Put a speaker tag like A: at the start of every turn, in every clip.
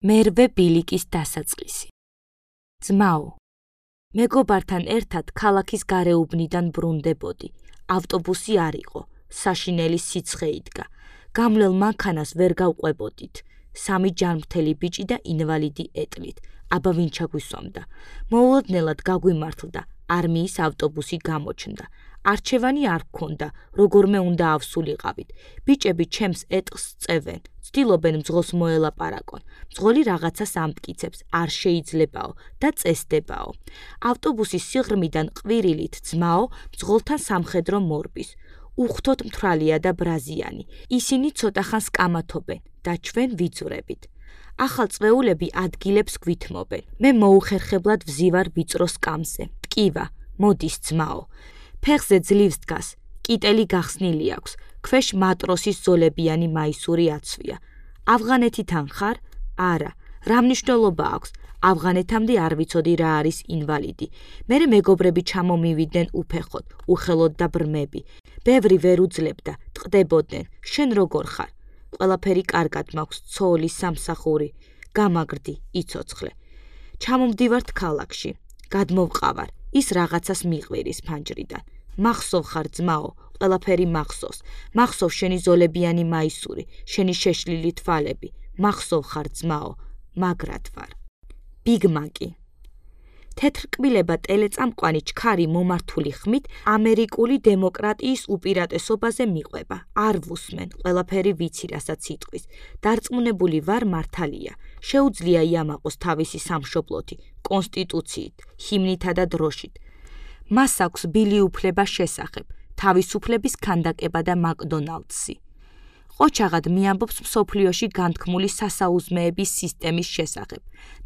A: მერვე ბილიკის დასაწყისი. ძმაო, მეგობართან ერთად ქალაქის გარეუბნიდან ბრუნდებოდი. ავტობუსი არ იყო, საშინელი სიცხე იდგა. გამლელ მანქანას ვერ გავყვებოდით. 3 ჯანმრთელი ბიჭი და ინვალიდი ეტლით. აბა ვინ ჩაგვისვამდა? მოულოდნელად გაგვიმართლდა. არმიის ავტობუსი გამოჩნდა. არჩევანი არ გქონდა, როგორმე უნდა ავსულიყავით. ბიჭები ჩემს ეტლს წევენ, ცდილობენ მძღოლს მოელაპარაკონ. მძღოლი რაღაცას ამტკიცებს, არ შეიძლებაო და წესდებაო. ავტობუსის სიღრმიდან ყვირილით ძმაო მძღოლთან სამხედრო მორბის. უხთოდ მთვრალია და ბრაზიანი. ისინი ცოტა ხანს კამათობენ და ჩვენ ვიძვრებით. ახალწვეულები ადგილებს გვითმობენ. მე მოუხერხებლად ვზივარ ვიწრო სკამზე. მტკივა, მოდის ძმაო. ფეხზე ძლივს დგას, კიტელი გახსნილი აქვს, ქვეშ მატროსის ზოლებიანი მაისური აცვია. ავღანეთიდან ხარ? არა. რა მნიშვნელობა აქვს? ავღანეთამდე არ ვიცოდი რა არის ინვალიდი. მერე მეგობრები ჩამომივიდნენ უფეხოდ, უხელოდ და ბრმები. ბევრი ვერ უძლებდა, ტყდებოდნენ. შენ როგორ ხარ? ყველაფერი კარგად მაქვს, ცოლი, სამსახური. გამაგრდი, იცოცხლე. ჩამომდივართ ქალაქში. გადმოვყავარ, ის რაღაცას მიყვირის ფანჯრიდან. მახსოვ ხარ ძმაო, ყველაფერი მახსოვს. მახსოვ შენი ზოლებიანი მაისური, შენი შეშლილი თვალები. მახსოვ ხარ ძმაო, მაგრად ვარ. ბიგმაკი. თეთრკბილება ტელეწამყვანი ჩქარი მომართული ხმით ამერიკული დემოკრატიის უპირატესობაზე მიყვება. არ ვუსმენ, ყველაფერი ვიცი, რასაც იტყვის. დარწმუნებული ვარ მართალია. შეუძლია იამაყოს თავისი სამშობლოთი, კონსტიტუციით, ჰიმნითა და დროშით. მას აქვს ბილი უფლება შესახებ, თავისუფლების ქანდაკება და მაკდონალდსი. ყოჩაღად მიამბობს მსოფლიოში განთქმული სასაუზმეების სისტემის შესახებ.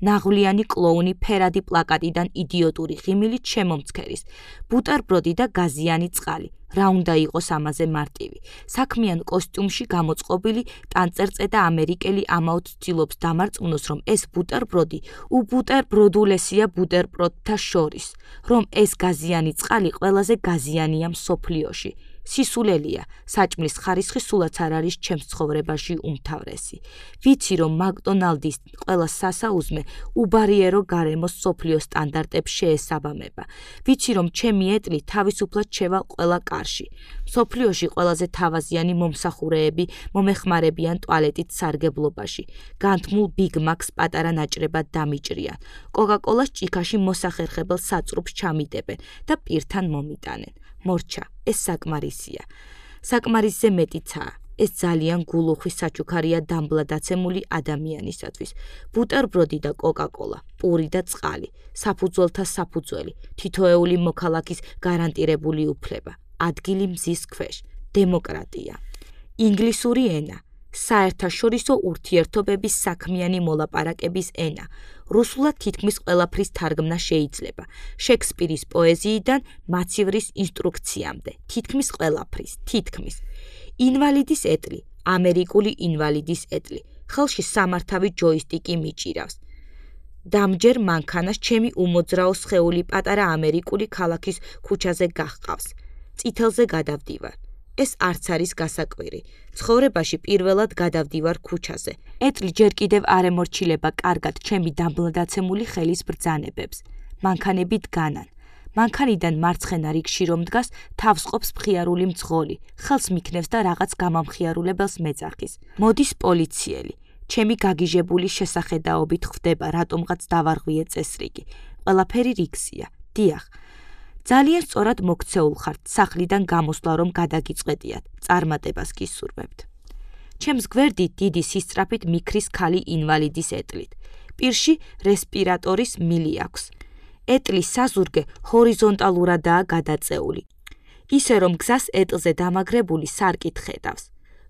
A: ნაღვლიანი კლოუნი ფერადი პლაკატიდან იდიოტური ღიმილით შემომცქერის. ბუტერბროდი და გაზიანი წყალი. რა უნდა იყოს ამაზე მარტივი. საქმიან კოსტიუმში გამოწყობილი ტანწერწედა ამერიკელი ამაოდ ცდილობს დამარწმუნოს, რომ ეს ბუტერბროდი უბუტერბროდულესია ბუტერბროდთა შორის, რომ ეს გაზიანი წყალი ყველაზე გაზიანია მსოფლიოში. სისულელია, საჭმლის ხარისხი სულაც არ არის ჩემს ცხოვრებაში უმთავრესი. ვიცი, რომ მაკდონალდის ყველა სასაუზმე უბარიერო გარემოს მსოფლიო სტანდარტებს შეესაბამება. ვიცი, რომ ჩემი ეტლი თავისუფლად შევალ ყველა კარში. მსოფლიოში ყველაზე თავაზიანი მომსახურეები მომეხმარებიან ტუალეტით სარგებლობაში. განთმულ ბიგმაკს პატარა ნაჭრებად დამიჭრიან. კოკაკოლას ჭიქაში მოსახერხებელ საწრუფს ჩამიდებენ და პირთან მომიტანენ. მორჩა, ეს საკმარისია. საკმარისზე მეტიცაა. ეს ძალიან გულუხვი საჩუქარია დამბლადაცემული ადამიანისათვის. ბუტერბროდი და კოკაკოლა, პური და წყალი, საფუძველთა საფუძველი, თითოეული მოქალაქის გარანტირებული უფლება, ადგილი მზის ქვეშ, დემოკრატია. ინგლისური ენა, საერთაშორისო ურთიერთობების საქმიანი მოლაპარაკების ენა. რუსულად თითქმის ყველაფრის თარგმნა შეიძლება. შექსპირის პოეზიიდან მაცივრის ინსტრუქციამდე, თითქმის ყველაფრის, თითქმის. ინვალიდის ეტლი, ამერიკული ინვალიდის ეტლი. ხელში სამართავი ჯოისტიკი მიჭირავს. დამჯერ მანქანას ჩემი უმოძრაო სხეული პატარა ამერიკული ქალაქის ქუჩაზე გაჰყავს. წითელზე გადავდივარ. ეს არც არის გასაკვირი. ცხოვრებაში პირველად გადავდივარ ქუჩაზე. ეტლი ჯერ კიდევ არ ემორჩილება კარგად ჩემი დამბლადაცემული ხელის ბრძანებებს. მანქანები დგანან. მანქანიდან მარცხენა რიგში რომ დგას, თავს ყოფს მხიარული მძღოლი. ხელს მიქნევს და რაღაც გამამხიარულებელს მეძახის. მოდის პოლიციელი. ჩემი გაგიჟებული შესახედაობით ხვდება, რატომღაც დავარღვიე წესრიგი. ყველაფერი რიგზია. დიახ. ძალიან სწორად მოქცეულ ხართ, სახლიდან გამოსვლა რომ გადაგიწყვეტიათ, წარმატებას გისურვებთ. ჩემს გვერდით დიდი სისწრაფით მიქრის ქალი ინვალიდის ეტლით. პირში რესპირატორის მილი აქვს. ეტლის საზურგე ჰორიზონტალურადაა გადაწეული. ისე რომ გზას ეტლზე დამაგრებული სარკით ხედავს.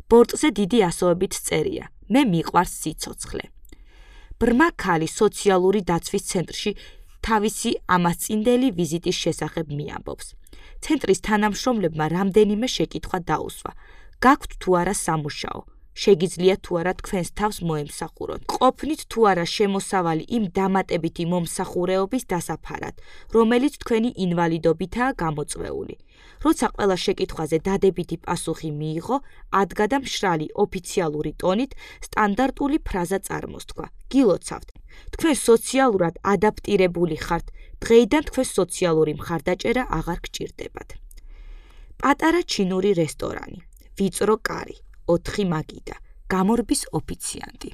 A: ბორტზე დიდი ასოებით წერია. მე მიყვარს სიცოცხლე. ბრმა ქალი სოციალური დაცვის ცენტრში თავისი ამასწინდელი ვიზიტის შესახებ მიამბობს. ცენტრის თანამშრომლებმა რამდენიმე შეკითხვა დაუსვა. გაქვთ თუ არა სამუშაო? შეგიძლიათ თუ არა თქვენს თავს მოემსახუროთ. ყოფნით თუ არა შემოსავალი იმ დამატებითი მომსახურეობის დასაფარად, რომელიც თქვენი ინვალიდობითაა გამოწვეული. როცა ყველა შეკითხვაზე დადებითი პასუხი მიიღო, ადგა და მშრალი ოფიციალური ტონით სტანდარტული ფრაზა წარმოსთქვა. გილოცავთ. თქვენ სოციალურად ადაპტირებული ხართ. დღეიდან თქვენ სოციალური მხარდაჭერა აღარ გჭირდებათ. პატარა ჩინური რესტორანი. ვიწრო კარი. 4 მაგიდა. გამორბის ოფიციანტი.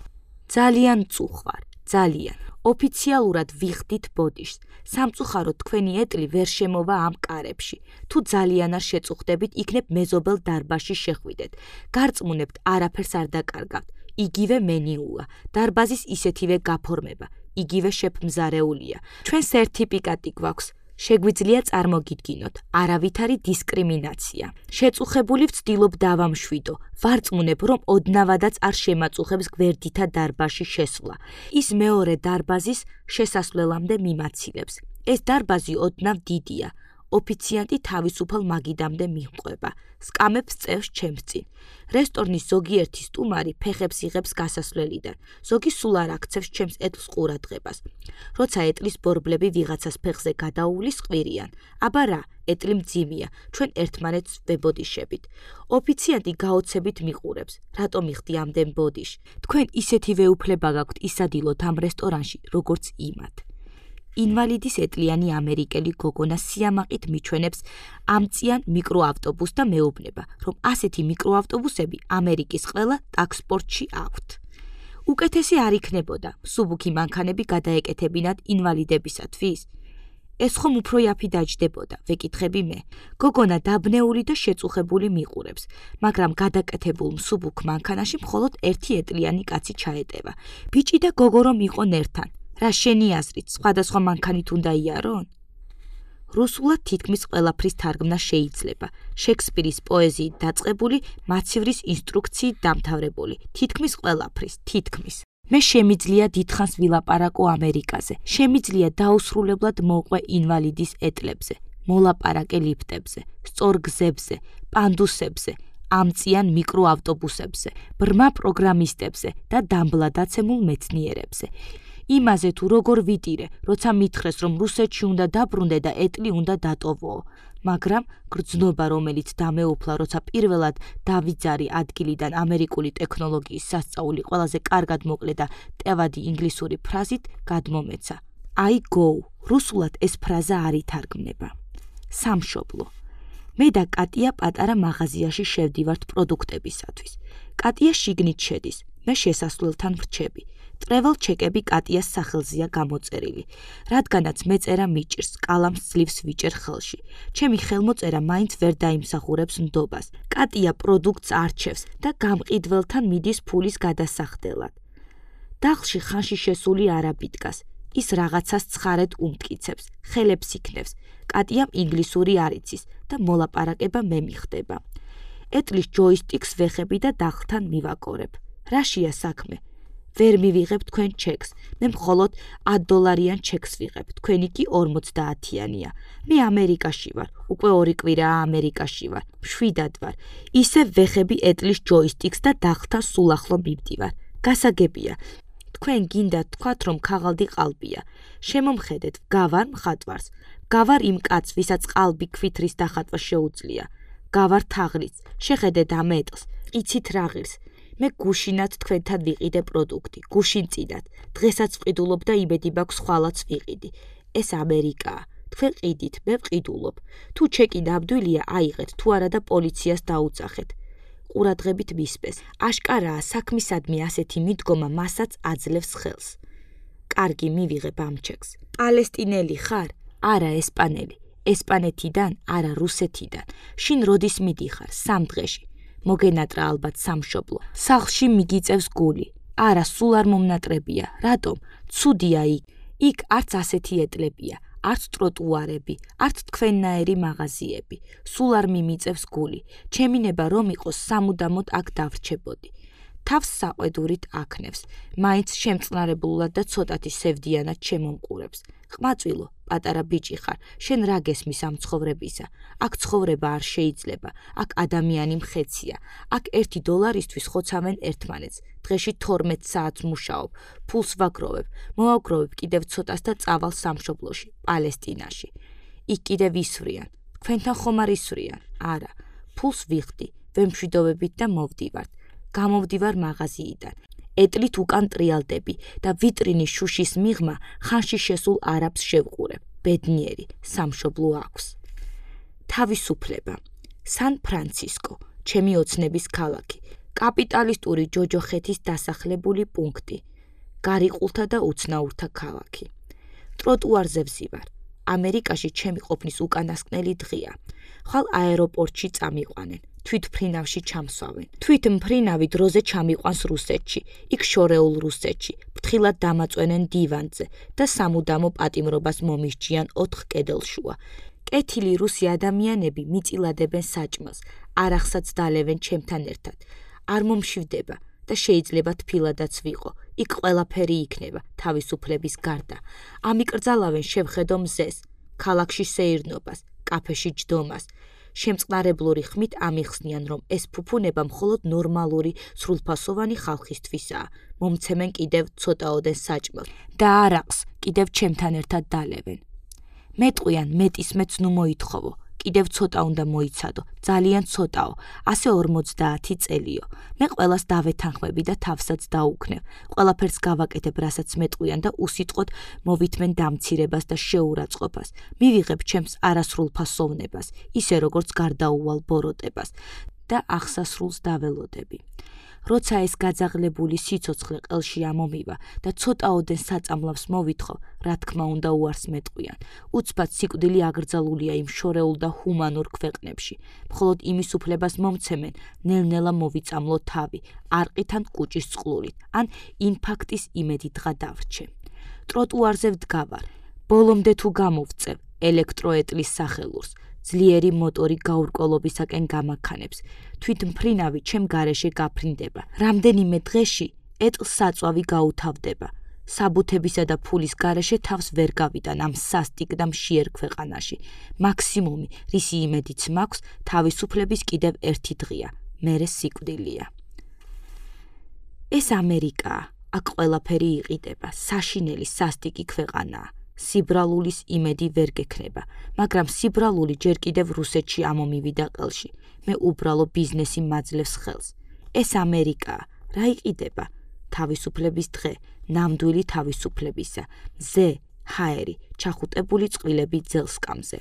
A: ძალიან წუხვარ, ძალიან. ოფიციალურად ვიხდით ბოდიშს. სამწუხაროდ თქვენი ეტლი ვერ შემოვა ამ კარებში. თუ ძალიან არ შეწუხდებით, იქნებ მეზობელ დარბაზში შეხვიდეთ. გარწმუნებთ, არაფერს არ დაკარგავთ. იგივე მენიუა. დარბაზის ისეთივე გაფორმება. იგივე შეფმზარეულია. ჩვენ სერტიფიკატი გვაქვს. შეგვიძლია წარმოგიდგინოთ, არავითარი დისკრიმინაცია. შეწუხებული ვცდილობ დავამშვიდო, ვარწმუნებ, რომ ოდნავადაც არ შემაწუხებს გვერდითა დარბაზში შესვლა. ის მეორე დარბაზის შესასვლელამდე მიმაცილებს. ეს დარბაზი ოდნავ დიდია. ოფიციანტი თავისუფალ მაგიდამდე მიჰყვება. სკამებს წევს ჩემს წინ. რესტორნის ზოგიერთი სტუმარი ფეხებს იღებს გასასვლელიდან. ზოგი სულ არ აქცევს ჩემს ეტლს ყურადღებას. როცა ეტლის ბორბლები ვიღაცას ფეხზე გადაუვლის, ყვირიან. აბა რა, ეტლი მძიმეა, ჩვენ ერთმანეთს ვებოდიშებით. ოფიციანტი გაოცებით მიყურებს. რატომ იხდი ამდენ ბოდიში? თქვენ ისეთივე უფლება გაქვთ ისადილოთ ამ რესტორანში, როგორც იმათ. ინვალიდის ეტლიანი ამერიკელი გოგონა სიამაყით მიჩვენებს ამწიან მიკროავტობუსს და მეუბნება, რომ ასეთი მიკროავტობუსები ამერიკის ყველა ტაქსპორტში აქვთ. უკეთესი არ იქნებოდა, მსუბუქი მანქანები გადაეკეთებინათ ინვალიდებისათვის. ეს ხომ უფრო იაფი დაჯდებოდა, ვეკითხები მე. გოგონა დაბნეული და შეწუხებული მიყურებს, მაგრამ გადაკეთებულ მსუბუქ მანქანაში მხოლოდ ერთი ეტლიანი კაცი ჩაეტევა. ბიჭი და გოგო რომ იყვნენ ერთთან. რა შენი აზრით, სხვადასხვა მანქანით უნდა იარონ? რუსულად თითქმის ყველაფრის თარგმნა შეიძლება. შექსპირის პოეზიით დაწყებული, მაცივრის ინსტრუქციით დამთავრებული. თითქმის ყველაფრის, თითქმის. მე შემიძლია დიდხანს ვილაპარაკო ამერიკაზე. შემიძლია დაუსრულებლად მოვყვე ინვალიდის ეტლებზე, მოლაპარაკე ლიფტებზე, სწორ გზებზე, პანდუსებზე, ამწიან მიკროავტობუსებზე, ბრმა პროგრამისტებზე და დამბლადაცემულ მეცნიერებზე. იმაზე თუ როგორ ვიტირე, როცა მითხრეს, რომ რუსეთში უნდა დაბრუნდე და ეტლი უნდა დატოვოო. მაგრამ გრძნობა, რომელიც დამეუფლა, როცა პირველად დავიძარი ადგილიდან ამერიკული ტექნოლოგიის სასწაული ყველაზე კარგად მოკლე და ტევადი ინგლისური ფრაზით გადმომეცა. I go. რუსულად ეს ფრაზა არ ითარგმნება. სამშობლო. მე და კატია პატარა მაღაზიაში შევდივართ პროდუქტებისათვის. კატია შიგნით შედის, მე შესასვლელთან ვრჩები. ტრეველ ჩეკები კატიას სახელზეა გამოწერილი. რადგანაც მეწერა მიჭირს, კალამს ძლივს ვიჭერ ხელში. ჩემი ხელმოწერა მაინც ვერ დაიმსახურებს ნდობას. კატია პროდუქტს არჩევს და გამყიდველთან მიდის ფულის გადასახდელად. დახლში ხანში შესული არაბი დგას. ის რაღაცას ცხარედ უმტკიცებს, ხელებს იქნევს. კატიამ ინგლისური არ იცის და მოლაპარაკება მე მიხდება. ეტლის ჯოისტიკს ვეხები და დახლთან მივაკორებ. რაშია საქმე? ვერ მივიღებ თქვენ ჩეკს, მე მხოლოდ $10 ჩეკს ვიღებ, თქვენი კი 50-იანია. მე ამერიკაში ვარ, უკვე 2 კვირაა ამერიკაში ვარ, მშვიდად ვარ. ისე ვეხები ეტლის ჯოისტიკს და დახლთან სულ ახლო მივდივარ. გასაგებია. თქვენ გინდათ თქვათ, რომ ქაღალდი ყალბია. შემომხედეთ, გავარ მხატვარს. გავარ იმ კაცს, ვისაც ყალბი ქვითრის დახატვა შეუძლია. გავარ თაღლიც. შეხედეთ ამ ეტლს, იცით რა ღირს. მე გუშინად თქვენთან ვიყიდე პროდუქტი, გუშინ წინათ. დღესაც ვყიდულობ და იმედი მაქვს ხვალაც ვიყიდი. ეს ამერიკაა. თქვენ ყიდით, მე ვყიდულობ. თუ ჩეკი ნამდვილია, აიღეთ, თუ არა და პოლიციას დაუძახეთ. ყურადღებით მისპეს. აშკარაა, საქმისადმი ასეთი მიდგომა მასაც აძლევს ხელს. კარგი, მივიღებ ამ ჩეკს. პალესტინელი ხარ? არა, ესპანელი. ესპანეთიდან, არა რუსეთიდან. შინ როდის მიდიხარ? 3 დღეში. მოგენატრა ალბათ სამშობლო. სახლში მიგიწევს გული. არა, სულ არ მომნატრებია. რატომ? ცუდია იქ. იქ არც ასეთი ეტლებია, არც ტროტუარები, არც თქვენნაირი მაღაზიები. სულ არ მიმიწევს გული. ჩემი ნება რომ იყოს სამუდამოდ აქ დავრჩებოდი. თავს საყვედურით აქნევს. მაინც შემწყნარებლულად და ცოტათი სევდიანად შემომყურებს. ყმაწვილო, პატარა ბიჭი ხარ, შენ რა გესმის ამ ცხოვრებისა? აქ ცხოვრება არ შეიძლება, აქ ადამიანი მხეცია, აქ $1 ხოცავენ ერთმანეთს, დღეში 12 საათს მუშაობ, ფულს ვაგროვებ, მოვაგროვებ კიდევ ცოტას და წავალ სამშობლოში, პალესტინაში. იქ კიდევ ისვრიან, თქვენთან ხომ არ ისვრიან? არა, ფულს ვიხდი, ვემშვიდობებით და მოვდივართ. გამოვდივარ მაღაზიიდან. ეტლით უკან ტრიალდები და ვიტრინის შუშის მიღმა ხანში შესულ არაბს შევყურებ. ბედნიერი, სამშობლო აქვს. თავისუფლება. სან-ფრანცისკო, ჩემი ოცნების ქალაქი. კაპიტალისტური ჯოჯოხეთის დასახლებული პუნქტი. გარიყულთა და უცნაურთა ქალაქი. ტროტუარზე ვზივარ. ამერიკაში ჩემი ყოფნის უკანასკნელი დღეა. ხვალ აეროპორტში წამიყვანენ. თვითმფრინავში ჩამსვავენ. თვითმფრინავი დროზე ჩამიყვანს რუსეთში, იქ შორეულ რუსეთში, ფრთხილად დამაწვენენ დივანზე და სამუდამო პატიმრობას მომისჯიან 4 კედელშუა. კეთილი რუსი ადამიანები მიწილადებენ საჭმელს, არახსაც დალევენ ჩემთან ერთად. არ მომშვიდება და შეიძლება თბილადაც ვიყო. იქ ყველაფერი იქნება თავისუფლების გარდა. ამიკრძალავენ შევხედო მზეს, ქალაქში სეირნობას, კაფეში ჯდომას. შემწყნარებლური ხმით ამიხსნიან, რომ ეს ფუფუნება მხოლოდ ნორმალური, სრულფასოვანი ხალხისთვისაა. მომცემენ კიდევ ცოტაოდენ საჭმელს და არაყს კიდევ ჩემთან ერთად დალევენ. მეტყვიან მეტისმეც ნუ მოითხოვო, კიდევ ცოტა უნდა მოიცადო, ძალიან ცოტაო, ასე 50 წელიო. მე ყველას დავეთანხმები და თავსაც დაუქნევ. ყველაფერს გავაკეთებ, რასაც მეტყვიან და უსიტყვოდ მოვითმენ დამცირებას და შეურაცხყოფას. მივიღებ ჩემს არასრულფასოვნებას, ისე როგორც გარდაუვალ ბოროტებას და აღსასრულს დაველოდები. როცა ეს გაძაღლებული სიცოცხლე ყელში ამომივა და ცოტაოდენ საწამლავს მოვითხოვ, რა თქმა უნდა უარს მეტყვიან. უცბად სიკვდილი აკრძალულია იმ შორეულ და ჰუმანურ ქვეყნებში. მხოლოდ იმის უფლებას მომცემენ, ნელ-ნელა მოვიწამლო თავი, არყით ან კუჭის წყლულით, ან ინფარქტის იმედით გადავრჩე. ტროტუარზე ვდგავარ, ბოლომდე თუ გამოვწევ ელექტროეტლის სახელურს. ძლიერი მოტორი გაურკვევლობისაკენ გამაქანებს. თვითმფრინავი ჩემ გარეშე გაფრინდება. რამდენიმე დღეში ეტლს საწვავი გაუთავდება. საბუთებისა და ფულის გარეშე თავს ვერ გავიტან ამ სასტიკ და მშიერ ქვეყანაში. მაქსიმუმი, რისი იმედიც მაქვს, თავისუფლების კიდევ ერთი დღეა, მერე სიკვდილია. ეს ამერიკაა, აქ ყველაფერი იყიდება, საშინელი სასტიკი ქვეყანაა. სიბრალულის იმედი ვერ გექნება, მაგრამ სიბრალული ჯერ კიდევ რუსეთში ამომივიდა ყელში. მე უბრალო ბიზნესი მაძლევს ხელს. ეს ამერიკაა, რა იყიდება? თავისუფლების დღე, ნამდვილი თავისუფლებისა. მზე, ჰაერი, ჩახუტებული წყვილები ძელსკამზე.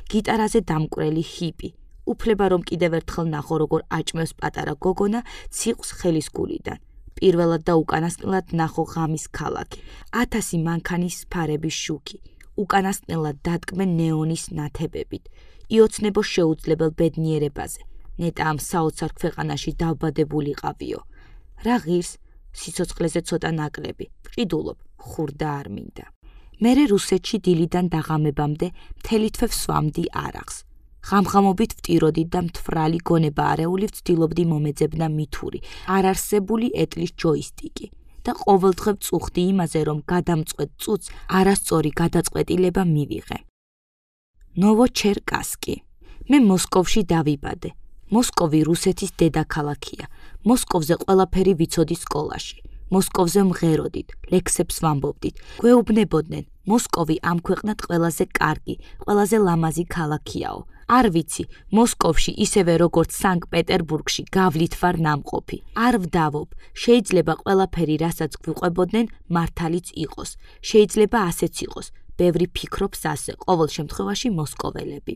A: გიტარაზე დამკვრელი ჰიპი. უფლება რომ კიდევ ერთხელ ნახო როგორ აჭმევს პატარა გოგონა ციყვს ხელის გულიდან. პირველად და უკანასკნელად ნახო ღამის ქალაქი. 1000 მანქანის ფარების შუქი. უკანასკნელად დადგმენ ნეონის ნათებებით. იოცნებო შეუძლებელ ბედნიერებაზე. ნეტა ამ საოცარ ქვეყანაში დავბადებულიყავიო. რა ღირს, სიცოცხლეზე ცოტა ნაკლები. ვყიდულობ, ხურდა არ მინდა. მერე რუსეთში დილიდან დაღამებამდე მთელი თვე ვსვამდი არახს. ღამღამობით ვტიროდი და მთვრალი გონება არეული ვცდილობდი მომეძებნა მითური, არარსებული ეტლის ჯოისტიკი და ყოველდღე ვწუხდი იმაზე, რომ გადამწყვეტ წუთს არასწორი გადაწყვეტილება მივიღე. ნოვოჩერკასკი. მე მოსკოვში დავიბადე. მოსკოვი რუსეთის დედაქალაქია. მოსკოვზე ყველაფერი ვიცოდი სკოლაში. მოსკოვზე მღეროდით, ლექსებს ვამბობდით. გვეუბნებოდნენ, მოსკოვი ამ ქვეყნად ყველაზე კარგი, ყველაზე ლამაზი ქალაქიაო. არ ვიცი, მოსკოვში ისევე როგორც სანქტ-პეტერბურგში გავლით ვარ ნამყოფი. არ ვდავობ, შეიძლება ყველაფერი, რასაც გვიყვებოდნენ, მართალიც იყოს. შეიძლება ასეც იყოს. ბევრი ფიქრობს ასე, ყოველ შემთხვევაში მოსკოველები.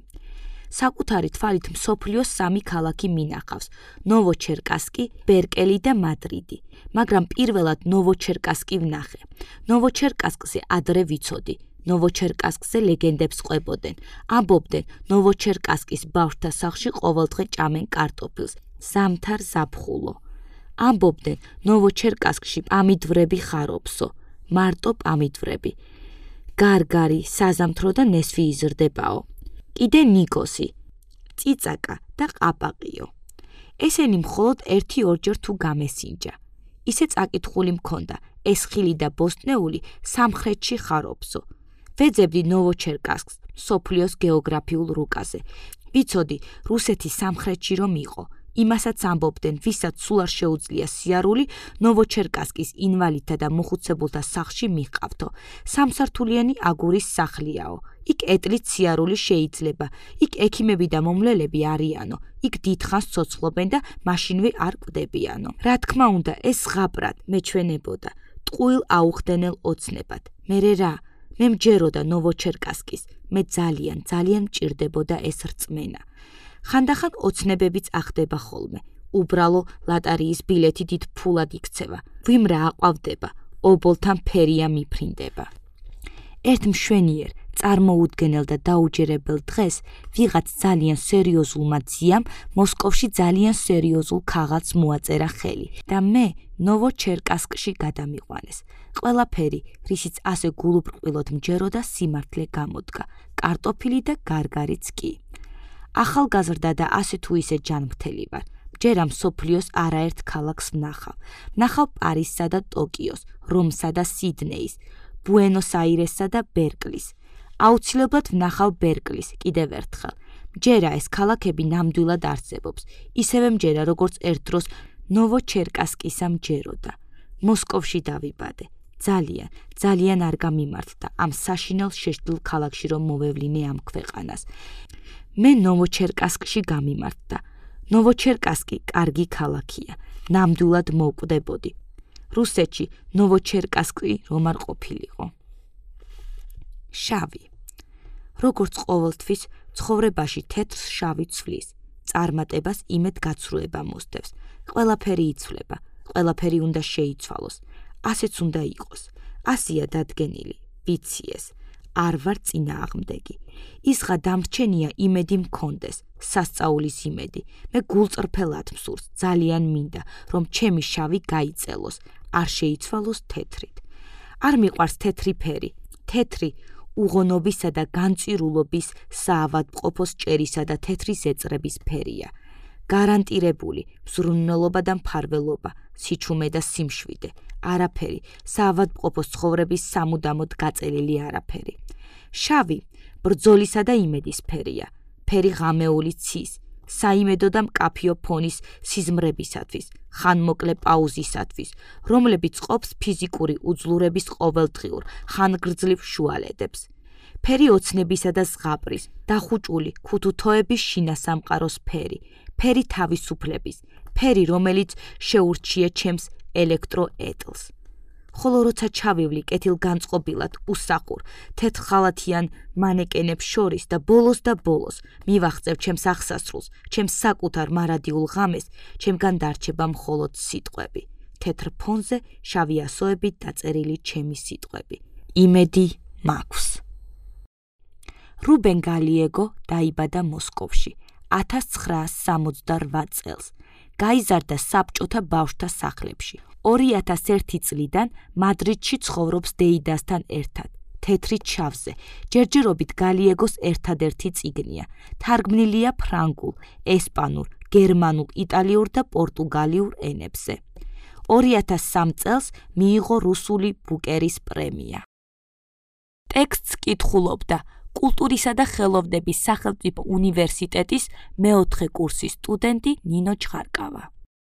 A: საკუთარი თვალით მსოფლიოს 3 ქალაქი მინახავს: ნოვოჩერკასკი, ბერკელი და მადრიდი. მაგრამ პირველად ნოვოჩერკასკი ვნახე. ნოვოჩერკასკზე ადრე ვიცოდი. ნოვოჩერკასკზე ლეგენდებს ყვებოდნენ. ამბობდნენ, ნოვოჩერკასკის ბავშვთა სახლში ყოველდღე ჭამენ კარტოფილს, ზამთარ ზაფხულო. ამბობდნენ, ნოვოჩერკასკში პამიდვრები ხარობსო, მარტო პამიდვრები. გარგარი, საზამთრო და ნესვი იზრდებაო. კიდე ნიკოსი, წიწაკა და ყაპაყიო. ესენი მხოლოდ 1-2 თუ გამესინჯა. ისე წაკითხული მქონდა, ეს ხილი და ბოსტნეული სამხრეთში ხარობსო. ვეძებდი ნოვოჩერკასკს მსოფლიოს გეოგრაფიულ რუკაზე. ვიცოდი, რუსეთის სამხრეთში რომ იყო. იმასაც ამბობდნენ, ვისაც სულ არ შეუძლია სიარული, ნოვოჩერკასკის ინვალიდთა და მოხუცებულთა სახლში მიჰყავთო. სამსართულიანი აგურის სახლიაო. იქ ეტლით სიარული შეიძლება. იქ ექიმები და მომლელები არიანო. იქ დიდხანს ცოცხლობენ და მაშინვე არ კვდებიანო. რა თქმა უნდა, ეს ზღაპრად მეჩვენებოდა. ტყუილ აუხდენელ ოცნებად. მერე რა? მე მჯეროდა ნოვოჩერკასკის. მე ძალიან მჭირდებოდა ეს რწმენა. ხანდახან ოცნებებიც ახდება ხოლმე. უბრალო ლატარიის ბილეთი დიდ ფულად იქცევა. ვიმ რა აყვავდება, ობოლთან ფერია მიფრინდება. ერთ მშვენიერ, წარმოუდგენელ და დაუჯერებელ დღეს ვიღაც ძალიან სერიოზულმა ძიამ მოსკოვში ძალიან სერიოზულ ქაღალდს მოაწერა ხელი და მე ნოვოჩერკასკში გადამიყვანეს. ყველაფერი, რისიც ასე გულუბრყვილოდ მჯეროდა, სიმართლე გამოდგა, კარტოფილი და გარგარიც კი. ახალგაზრდა და ასე თუ ისე ჯანმრთელი ვარ. ჯერა მსოფლიოს არაერთ ქალაქს ვნახავ. ვნახავ პარიზსა და ტოკიოს, რომსა და სიდნეის, ბუენოს-აირესსა და ბერკლის. აუცილებლად ვნახავ ბერკლის კიდევ ერთხელ. ჯერა ეს ქალაქები ნამდვილად არსებობს. ისევე მჯერა, როგორც ერთ დროს ნოვოჩერკასკისა მჯეროდა. მოსკოვში დავიბადე. ძალიან არ გამიმართდა ამ საშინელ შეშლილ ქალაქში რომ მოვევლინე ამ ქვეყანას. მე ნოვოჩერკასკში გამიმართდა. ნოვოჩერკასკი კარგი ქალაქია. ნამდვილად მოვკვდებოდი. რუსეთში ნოვოჩერკასკი რომ არ ყოფილიყო. შავი. როგორც ყოველთვის ცხოვრებაში თეთრს შავი ცვლის. წარმატებას იმედ გაცრუება მოსდევს. ყველაფერი იცვლება. ყველაფერი უნდა შეიცვალოს. ასეც უნდა იყოს. ასია დადგენილი. ვიცი ეს. არ ვარ წინააღმდეგი. ისღა დამრჩენია იმედი მქონდეს, სასწაულის იმედი. მე გულწრფელად მსურს, ძალიან მინდა, რომ ჩემი შავი გაიწელოს, არ შეიცვალოს თეთრით. არ მიყვარს თეთრი ფერი. თეთრი უღონობისა და განწირულობის, საავადმყოფოს ჭერისა და თეთრი ზეწრების ფერია. გარანტირებული მზრუნველობა და მფარველობა, სიჩუმე და სიმშვიდე. არაფერი, საავადმყოფოს ცხოვრების სამუდამოდ გაწელილი არაფერი. შავი, ბრძოლისა და იმედის ფერია. ფერი ღამეული ცის, საიმედო და მკაფიო ფონის სიზმრებისათვის, ხანმოკლე პაუზისათვის, რომლებიც ყოფს ფიზიკური უძლურების ყოველდღიურ, ხანგრძლივ შუალედებს. ფერი ოცნებისა და ზღაპრის, დახუჭული ქუთუთოების შინასამყაროს ფერი, ფერი თავისუფლების, ფერი, რომელიც შეურჩია ჩემს ელექტროეტლს. ხოლო როცა ჩავივლი კეთილგანწყობილად უსახურ, თეთრხალათიან მანეკენებს შორის და ბოლოს მივახწევ ჩემს აღსასრულს, ჩემს საკუთარ მარადიულ ღამეს, ჩემგან დარჩება მხოლოდ სიტყვები. თეთრ ფონზე შავი ასოებით დაწერილი ჩემი სიტყვები. იმედი მაქვს. რუბენ გალიეგო დაიბადა მოსკოვში 1968 წელს. გაიზარდა საბჭოთა ბავშვთა სახლებში. 2001 წლიდან მადრიდში ცხოვრობს დეიდასთან ერთად. თეთრი ჩავზე. ჯერჯერობით გალიეგოს ერთადერთი წიგნია. თარგმნილია ფრანგულ, ესპანურ, გერმანულ, იტალიურ და პორტუგალიურ ენებზე. 2003 წელს მიიღო რუსული ბუკერის პრემია. ტექსტს კითხულობდა კულტურისა და ხელოვნების სახელმწიფო უნივერსიტეტის მეოთხე კურსის სტუდენტი ნინო ჩხარკავა.